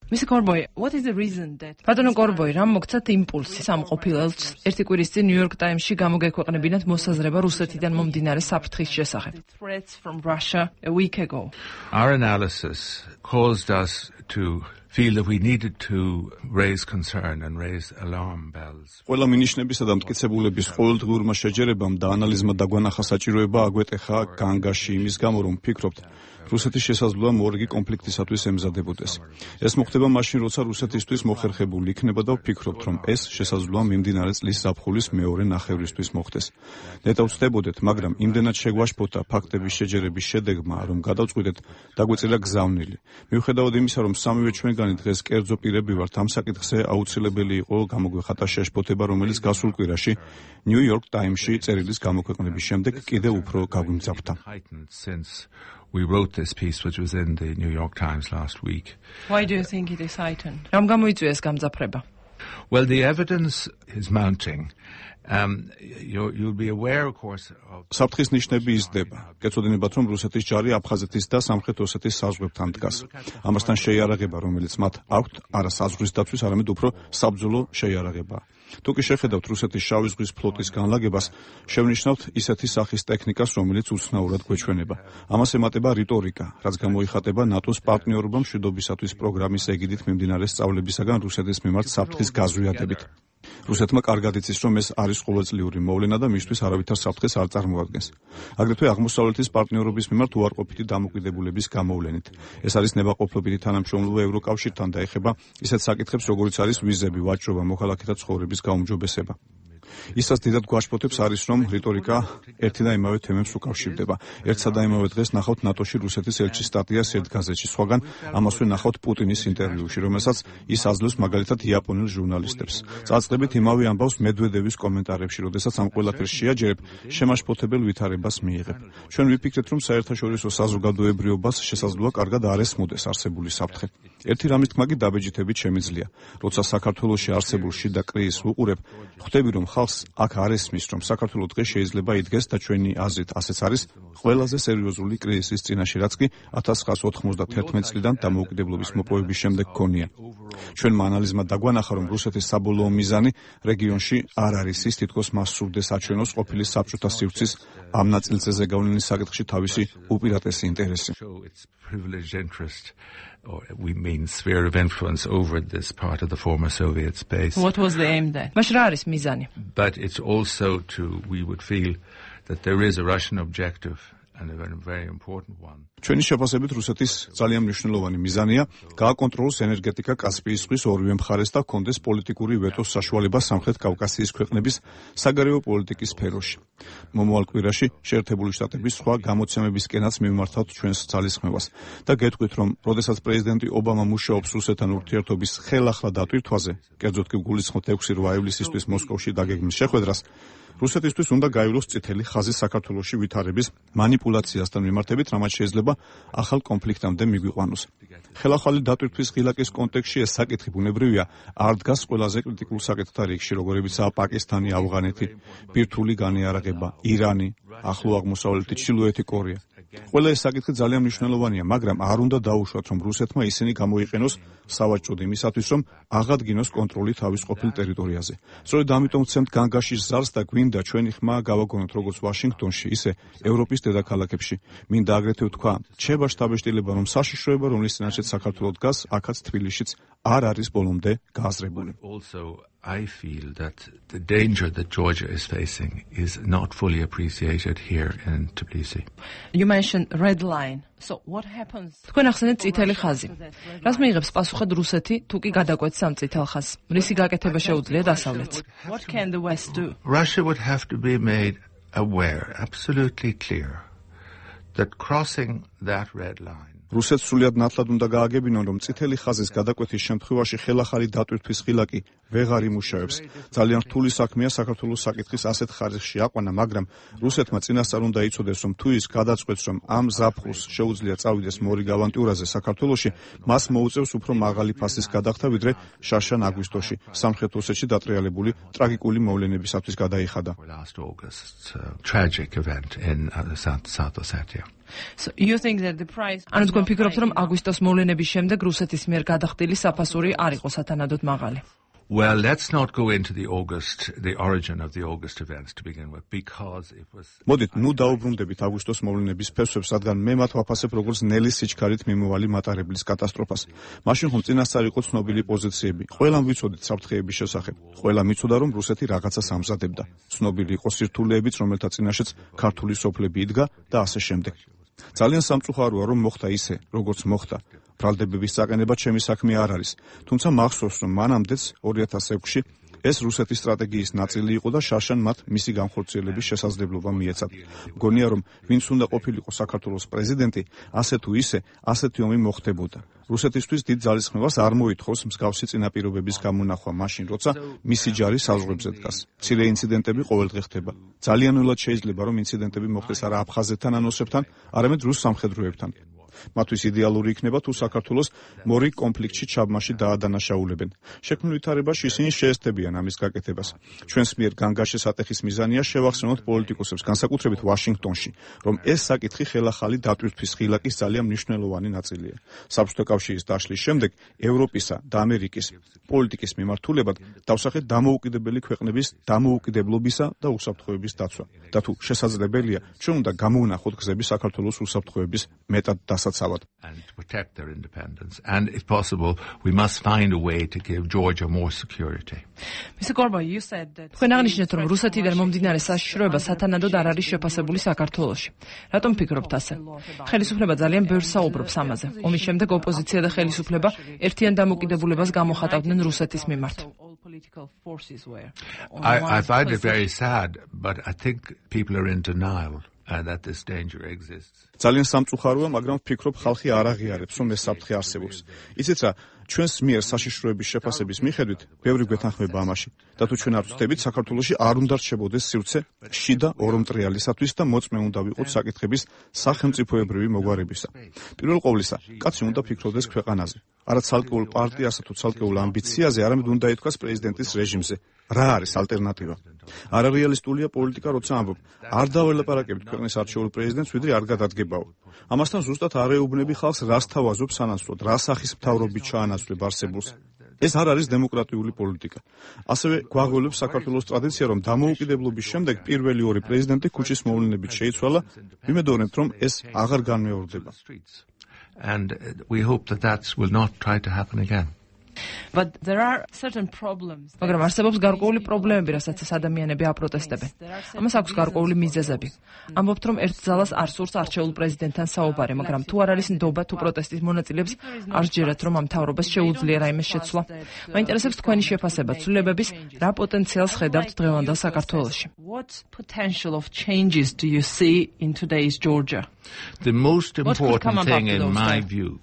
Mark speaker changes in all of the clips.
Speaker 1: Mr. Corboy, what is the reason that Batono Corboy რამ მოგცათ იმპულსი სამყოფილ ელჩს ერთი კვირის წინ New York Times-ში გამოგექვეყნებინათ მოსაზრება რუსეთიდან მომდინარე საფრთხის შესახებ. Threats from Russia a week ago.
Speaker 2: Our analysis caused us to feel that we needed to raise concern and raise alarm bells.
Speaker 3: ყველა მინიშნებისა და მტკიცებულების ყოველდღიურმა შეჯერებამ და ანალიზმა დაგვანახა საჭიროება აგვეტეხა განგაში იმის გამო, რომ ვფიქრობთ, რუსეთის შესაძლოა მორიგი კონფლიქტისათვის ემზადებოდეს. ეს მოხდება მაშინ, როცა რუსეთისთვის მოხერხებული იქნება და ვფიქრობთ, რომ ეს შესაძლოა მიმდინარე წლის ზაფხულის მეორე ნახევრისთვის მოხდეს. ნეტავ ვწდებოდეთ, მაგრამ იმდენად შეგვაშფოთა ფაქტების შეჯერების შედეგმა, რომ გადავწყვიტეთ დაგვეწირა გზავნილი. მიუხედავად იმისა, რომ სამივე ჩვენგანი დღეს კერძო პირები ვართ, ამ საკითხზე აუცილებელი იყო გამოგვეხატა შეშფოთება, რომელიც გასულ კვირაში New York Times-ში წერილის გამოქვეყნების შემდეგ კიდევ უფრო გაგვიმძაფრდა.
Speaker 2: We wrote this piece which was in the New York Times last week.
Speaker 1: Why do you think it is heightened? რამ გამოიწვია ეს გამძაფრება?
Speaker 2: Well, the evidence is mounting. You'll be aware, of course, of
Speaker 3: საფრთხის ნიშნები იზრდება. გეცოდინებათ, რომ რუსეთის ჯარი აფხაზეთის და სამხრეთ ოსეთის საზღვრებთან დგას. ამასთან შეიარაღება, რომელიც მათ აქვთ, არა საზღვრის დაცვის, არამედ უფრო საბრძოლო შეიარაღება. თუ კი შეხედავთ რუსეთის შავი ზღვის ფლოტის განლაგებას, შევნიშნავთ ისეთი სახის ტექნიკას, რომელიც უცნაურად გვეჩვენება. ამას ემატება რიტორიკა, რაც გამოიხატება ნატოს პარტნიორობა მშვიდობისათვის პროგრამის ეგიდით მიმდინარე სწავლებისაგან რუსეთის მიმართ საფრთხის გაზვიადებით. რუსეთმა კარგად იცის, რომ ეს არის ყოველწლიური მოვლენა და მისთვის არავითარ საფრთხეს არ წარმოადგენს. აგრეთვე აღმოსავლეთის პარტნიორობის მიმართ უარყოფითი დამოკიდებულების გამოვლენით. ეს არის ნებაყოფლობითი თანამშრომლობა ევროკავშირთან და ეხება ისეთ საკითხებს, როგორიც არის ვიზები, ვაჭრობა, მოქალაქეთა ცხოვრების გაუმჯობესება. ისაც დიდად გვაშფოთებს არის, რომ რიტორიკა ერთი და იმავე თემებს უკავშირდება. ერთსა და იმავე დღეს ნახავთ ნატოში რუსეთის ელჩის სტატიას ერთ გაზეთში, სხვაგან ამასვე ნახავთ პუტინის ინტერვიუში, რომელსაც ის აძლევს მაგალითად იაპონელ ჟურნალისტებს. წაწყდებით იმავე ამბავს მედვედევის კომენტარებში, როდესაც ამ ყველაფერს შეაჯერებ, შემაშფოთებელ ვითარებას მიიღებ. ჩვენ ვიფიქრეთ, რომ საერთაშორისო საზოგადოებრიობას შესაძლოა კარგად არ ესმოდეს არსებული საფრთხე. ერთი რამის თქმა კი დაბეჭდებით შემიძლია. როცა საქართველოში არსებულ შიდა კრიზისს ვუყურებ, ხვდები, რომ ხალხს აქ არ ესმის, რომ საქართველოს დღეს შეიძლება იდგეს და ჩვენი აზრით ასეც არის ყველაზე სერიოზული კრიზისის წინაშე, რაც კი 1991 წლიდან დამოუკიდებლობის მოპოვების შემდეგ გქონია. ჩვენმა ანალიზმა დაგვანახა, რომ რუსეთის საბოლოო მიზანი რეგიონში არ არის ის, თითქოს მას სურდეს აჩვენოს ყოფილი საბჭოთა სივრცის ამ ნაწილზე ზეგავლენის საკითხში თავისი უპირატესი ინტერესი.
Speaker 2: Or we mean sphere of influence over this part of the former Soviet space.
Speaker 1: What was the aim there? მაშ რა არის მიზანი?
Speaker 2: But it's also we would feel that there is a Russian objective and a very important one.
Speaker 3: ჩვენი შეფასებით რუსეთის ძალიან მნიშვნელოვანი მიზანია გააკონტროლოს ენერგეტიკა კასპიის ზღვის ორივე მხარეს და ჰქონდეს პოლიტიკური ვეტოს საშუალება სამხრეთ კავკასიის ქვეყნების საგარეო პოლიტიკის სფეროში. მომავალ კვირაში შეერთებული შტატების სხვა გამოცემებისკენაც მივმართავთ ჩვენს ძალისხმევას და გეტყვით, რომ როდესაც პრეზიდენტი ობამა მუშაობს რუსეთთან ურთიერთობის ხელახლა დატვირთვაზე, კერძოდ კი გულისხმობ 6 ივლისისთვის მოსკოვში დაგეგმვის შეხვედრას, რუსეთისთვის უნდა გაივლოს წითელი ხაზი საქართველოში ვითარების მანიპულაციასთან მიმართებით, რამაც შეიძლება ახალ კონფლიქტამდე მიგვიყვანოს. ხელახალი დატვირთვის ღილაკის კონტექსტში ეს საკითხი ბუნებრივია არ დგას ყველაზე კრიტიკულ საკითხთა რიგში, როგორებიცაა პაკისტანი, ავღანეთი, ბირთვული განიარაღება, ირანი, ახლო აღმოსავლეთი, ჩრდილოეთი კორეა. ყველა ეს საკითხი ძალიან მნიშვნელოვანია, მაგრამ არ უნდა დაუშვათ, რომ რუსეთმა ისინი გამოიყენოს სავაჭროდ იმისათვის, რომ აღადგინოს კონტროლი თავის ყოფილ ტერიტორიაზე. სწორედ ამიტომ ვცემთ განგაშის ზარს და გვინდა ჩვენი ხმა გავაგონოთ როგორც ვაშინგტონში, ისე ევროპის დედაქალაქებში. მინდა აგრეთვე ვთქვა, რჩება შთაბეჭდილება, რომ საშიშროება, რომლის წინაშეც საქართველოს დგას, აქაც თბილისშიც არ არის ბოლომდე გააზრებული.
Speaker 2: I feel that the danger that Georgia is facing is not fully appreciated here in Tbilisi.
Speaker 1: You mentioned red line. So what happens? თქვენ ახსენეთ წითელი ხაზი. რას მიიღებს პასუხად რუსეთი, თუ კი გადაკვეთს ამ წითელ ხაზს? რისი გაკეთება შეუძლია დასავლეთს? What can the West do?
Speaker 2: Russia would have to be made aware, absolutely clear, that crossing that red line
Speaker 3: რუსეთს სრულად ნათლად უნდა გააგებინონ, რომ წითელი ხაზის გადაკვეთის შემთხვევაში ხელახალი დატვირთვის ღილაკი ვეღარ იმუშავებს. ძალიან რთული საქმეა საქართველოს საკითხის ასეთ ხარისხში აყვანა, მაგრამ რუსეთმა წინასწარ უნდა იცოდეს, რომ თუ ის გადაწყვეტს, რომ ამ ზაფხულს შეუძლია წავიდეს მორიგ ავანტიურაზე საქართველოში, მას მოუწევს უფრო მაღალი ფასის გადახდა, ვიდრე შარშან აგვისტოში სამხრეთ ოსეთში დატრიალებული ტრაგიკული მოვლენებისათვის გადაიხადა.
Speaker 2: Tragic event in South Ossetia.
Speaker 1: So you think that the price ანუ თქვენ ფიქრობთ რომ აგვისტოს მოვლენების შემდეგ რუსეთის მიერ გადახდილი საფასური არ იყო სათანადოდ მაღალი?
Speaker 2: Well, let's not go into the origin of the August events to begin with, because it was...
Speaker 3: მოდით, ნუ დაუბრუნდებით აგვისტოს მოვლენების ფესვებს, რადგან მე მათ ვაფასებ როგორც ნელის სიჩქარით მიმოვალი მატარებლის კატასტროფას. მაშინ ხომ წინასწარ იყო ცნობილი პოზიციები. ყველამ ვიცოდით საფრთხეების შესახებ. ყველამ იცოდა, რომ რუსეთი რაღაცას ამზადებდა. ცნობილი იყო სირთულეებიც, რომელთა წინაშეც ქართული სოფლები იდგა და ასე შემდეგ. ძალიან სამწუხაროა, რომ მოხდა ისე, როგორც მოხდა. ბრალდებების საყენება ჩემი საქმე არ არის. თუმცა მახსოვს, რომ მანამდეც 2006-ში ეს რუსეთის სტრატეგიის ნაწილი იყო და შარშან მათ მისი განხორციელების შესაძლებლობა მიეცათ. მგონია, რომ ვინც უნდა ყოფილიყო საქართველოს პრეზიდენტი, ასე თუ ისე, ასეთი ომი მოხდებოდა. რუსეთისთვის დიდ ძალისხმევას არ მოითხოვს მსგავსი წინაპირობების გამონახვა მაშინ, როცა მისი ჯარი საზღვრებზე დგას. მცირე ინციდენტები ყოველდღე ხდება. ძალიან ველად შეიძლება, რომ ინციდენტები მოხდეს არა აფხაზეთთან ან ოსებთან, არამედ რუს სამხედროებთან. მათთვის იდეალური იქნება თუ საქართველოს მორი კონფლიქტში ჩაბმაში დაადანაშაულებენ. შექმნილ ვითარებაში ისინი შეესწებიან ამის გაკეთებას. ჩვენს მიერ განგაშე სატეხის მიზანია შევახსენოთ პოლიტიკოსებს, განსაკუთრებით ვაშინგტონში, რომ ეს საკითხი ხელახალი დატვირთვის ხილაკის ძალიან მნიშვნელოვანი ნაწილია. საბჭოთა კავშირის დაშლის შემდეგ ევროპისა და ამერიკის პოლიტიკის მიმართულებად დავსახეთ დამოუკიდებელი ქვეყნების დამოუკიდებლობისა და უსაფრთხოების დაცვა. და თუ შესაძლებელია, ჩვენ უნდა გამოვნახოთ გზები საქართველოს უსაფრთხოების მეტად დასაცავად.
Speaker 2: And to protect their independence. And if possible, we must find a way to give Georgia more security.
Speaker 1: Mr. Gorba, you said that თქვენ აღნიშნეთ, რომ რუსეთიდან მომდინარე საშიშროება სათანადოდ არ არის შეფასებული საქართველოში. რატომ ფიქრობთ ასე? ხელისუფლება ძალიან ბევრს საუბრობს ამაზე. ომის შემდეგ ოპოზიცია და ხელისუფლება ერთიან დამოკიდებულებას გამოხატავდნენ რუსეთის მიმართ.
Speaker 2: I find it very sad, but I think people are in denial. That this danger exists.
Speaker 3: ძალიან სამწუხაროა, მაგრამ ვფიქრობ, ხალხი არ აღიარებს, რომ ეს საფრთხე არსებობს. იცით რა, ჩვენს მიერ საშიშროების შეფასების მიხედვით, ბევრი გვეთანხმება ამაში. და თუ ჩვენ არ ვწდებით, საქართველოში არ უნდა რჩებოდეს სივრცე შიდა ორომტრიალისათვის და მოწმე უნდა ვიყოთ საკითხების სახელმწიფოებრივი მოგვარებისა. პირველ ყოვლისა, კაცი უნდა ფიქრობდეს ქვეყანაზე. არა ცალკეულ პარტიასა თუ ცალკეულ ამბიციაზე, არამედ უნდა ითქვას პრეზიდენტის რეჟიმზე. რა არის ალტერნატივა? არარეალისტულია პოლიტიკა, როცა ამბობ, არ დაველაპარაკებით ქვეყნის არჩეულ პრეზიდენტს, ვიდრე არ გადადგებაო. ამასთან ზუსტად არ ეუბნები ხალხს, რას თავაზობ სანაცვლოდ, რა სახის მთავრობით ჩაანაცვლებ არსებულს. ეს არ არის დემოკრატიული პოლიტიკა. ასევე გვაღველებს საქართველოს ტრადიცია, რომ დამოუკიდებლობის შემდეგ პირველი ორი პრეზიდენტი ქუჩის მოვლენებით შეიცვალა, ვიმედოვნებთ, რომ ეს აღარ განმეორდება.
Speaker 2: And we hope that will not try to happen again.
Speaker 1: But there are certain problems. მაგრამ არსებობს გარკვეული პრობლემები, რასაც ეს ადამიანები აპროტესტებენ. ამას აქვს გარკვეული მიზეზები. ამბობთ, რომ ერთ ძალას არ სურს არჩეულ პრეზიდენტთან საუბარი, მაგრამ თუ არ არის ნდობა თუ პროტესტის მონაწილეებს არ სჯერათ, რომ ამ მთავრობას შეუძლია რაიმე შეცვლა. მაინტერესებს თქვენი შეფასება ცვლილებების, რა პოტენციალს ხედავთ დღევანდელ საქართველოში. What potential of changes do you see in today's Georgia?
Speaker 2: The most important thing in my view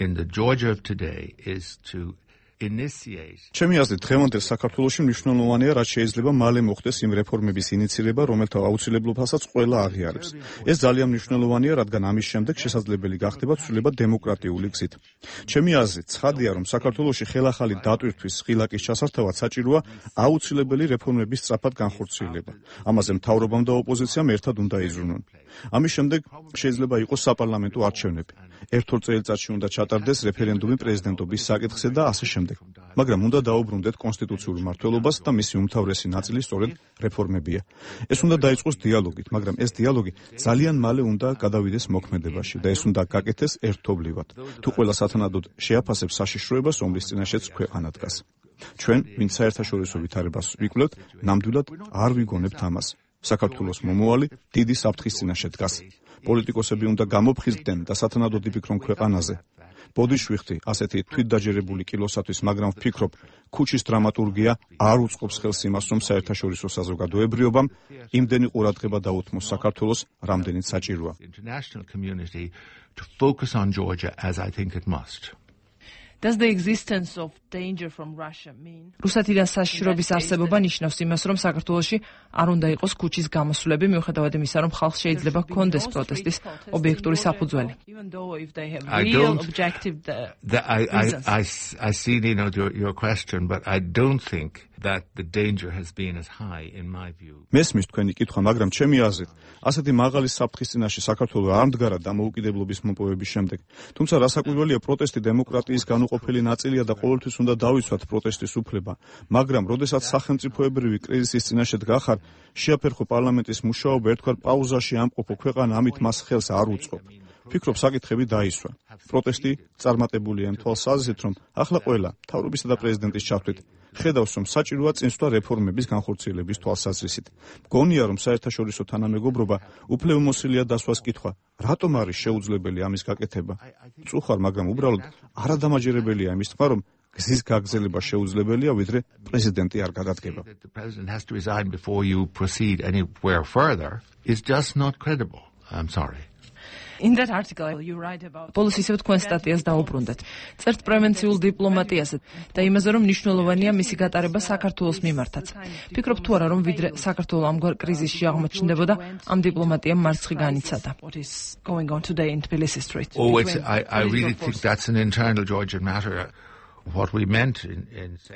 Speaker 2: in the Georgia of today is to initiate.
Speaker 3: ჩემი აზრით, დღევანდელ საქართველოში მნიშვნელოვანია, რაც შეიძლება მალე მოხდეს იმ რეფორმების ინიციირება, რომელთა აუცილებლობასაც ყველა აღიარებს. ეს ძალიან მნიშვნელოვანია, რადგან ამის შემდეგ შესაძლებელი გახდება ცვლილება დემოკრატიული გზით. ჩემი აზრით, ცხადია, რომ საქართველოში ხელახალი დატვირთვის ხილაკის ჩასართავად საჭიროა აუცილებელი რეფორმების სწრაფად განხორციელება. ამაზე მთავრობამ და ოპოზიციამ ერთად უნდა იზრუნონ. ამის შემდეგ შეიძლება იყოს საპარლამენტო არჩევნები. ერთ-ორ წელიწადში უნდა ჩატარდეს რეფერენდუმი პრეზიდენტობის საკითხზე და ასე შემდეგ. მაგრამ უნდა დაუბრუნდეთ კონსტიტუციურ მმართველობას და მისი უმთავრესი ნაწილი სწორედ რეფორმებია. ეს უნდა დაიწყოს დიალოგით, მაგრამ ეს დიალოგი ძალიან მალე უნდა გადავიდეს მოქმედებაში და ეს უნდა გაკეთდეს ერთობლივად. თუ ყველა სათანადოდ შეაფასებს საშიშროებას, ომის წინაშეც ქვეყანა დგას. ჩვენ, ვინც საერთაშორისო ვითარებას ვიკვლევთ, ნამდვილად არ ვიგონებთ ამას. საქართველოს მომავალი დიდი საფრთხის წინაშე დგას. პოლიტიკოსები უნდა გამოფხიზდნენ და სათანადოდ იფიქრონ ქვეყანაზე. ბოდიშვიხტი ასეთი თვითდაჯერებული კილოსათვის, მაგრამ ვფიქრობ, ქუჩის დრამატურგია არ უწყობს ხელს იმას, რომ საერთაშორისო საზოგადოებრიობამ იმდენი ყურადღება დაუთმოს საქართველოს, რამდენიც საჭიროა.
Speaker 2: International community to focus on Georgia as I think it must.
Speaker 1: Does the existence of danger from Russia mean? რუსეთიდან საშიშროების არსებობა ნიშნავს იმას, რომ საქართველოში არ უნდა იყოს ქუჩის გამოსვლები, მიუხედავად იმისა, რომ ხალხს შეიძლება ჰქონდეს პროტესტის ობიექტური საფუძველი.
Speaker 2: I see your question, but I don't think that the danger has been as high in my view.
Speaker 3: მესმის თქვენი კითხვა, მაგრამ ჩემი აზრით, ასეთი მაღალი საფრთხის წინაშე საქართველო არ მდგარა დამოუკიდებლობის მოპოვების შემდეგ. თუმცა რასაკვირველია, პროტესტი დემოკრატიის განუყოფელი ნაწილია და ყოველთვის უნდა დავიცვათ პროტესტის უფლება. მაგრამ, როდესაც სახელმწიფოებრივი კრიზისის წინაშე დგახარ, შეაფერხო პარლამენტის მუშაობა, ერთგვარ პაუზაში ამყოფო ქვეყანა ამით მას ხელს არ უწყობ. ფიქრობ, საკითხები დაისვა. პროტესტი წარმატებულია იმ თვალსაზრისით, რომ ახლა ყველა მთავრობისა და პრეზიდენტის ჩართვით ხედავს, რომ საჭიროა წინსვლა რეფორმების განხორციელების თვალსაზრისით. მგონია, რომ საერთაშორისო თანამეგობრობა უფლებამოსილია დასვას კითხვა, რატომ არის შეუძლებელი ამის გაკეთება. წუხარ, მაგრამ უბრალოდ არადამაჯერებელია იმის თქმა, რომ გზის გაგრძელება შეუძლებელია, ვიდრე პრეზიდენტი არ გადადგება.
Speaker 2: The president has to resign before you proceed anywhere further is just not credible. I'm sorry.
Speaker 1: In that article you write about პოლის ისევ თქვენ სტატიას დაუბრუნდეთ. წერთ პრევენციულ დიპლომატიაზე და იმაზე, რომ მნიშვნელოვანია მისი გატარება საქართველოს მიმართაც. ფიქრობ თუ არა, რომ ვიდრე საქართველო ამგვარ კრიზისში აღმოჩნდებოდა, ამ დიპლომატიამ მარცხი განიცადა.
Speaker 2: Oh, I really think that's an internal Georgian matter. What we meant in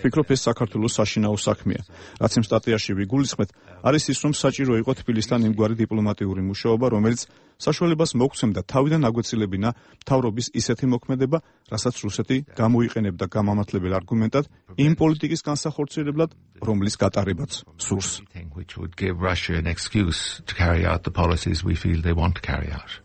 Speaker 3: ფიქრობ, ეს საქართველოს საშინაო საქმეა. რაც იმ სტატიაში ვიგულისხმეთ, არის ის, რომ საჭირო იყო თბილისთან იმგვარი დიპლომატიური მუშაობა, რომელიც საშუალებას მოგცემდა თავიდან აგვეცილებინა მთავრობის ისეთი მოქმედება, რასაც რუსეთი გამოიყენებდა გამამართლებელ არგუმენტად იმ პოლიტიკის განსახორციელებლად, რომლის გატარებაც სურს.
Speaker 2: which would give Russia an excuse to carry out the policies we feel they want to carry out.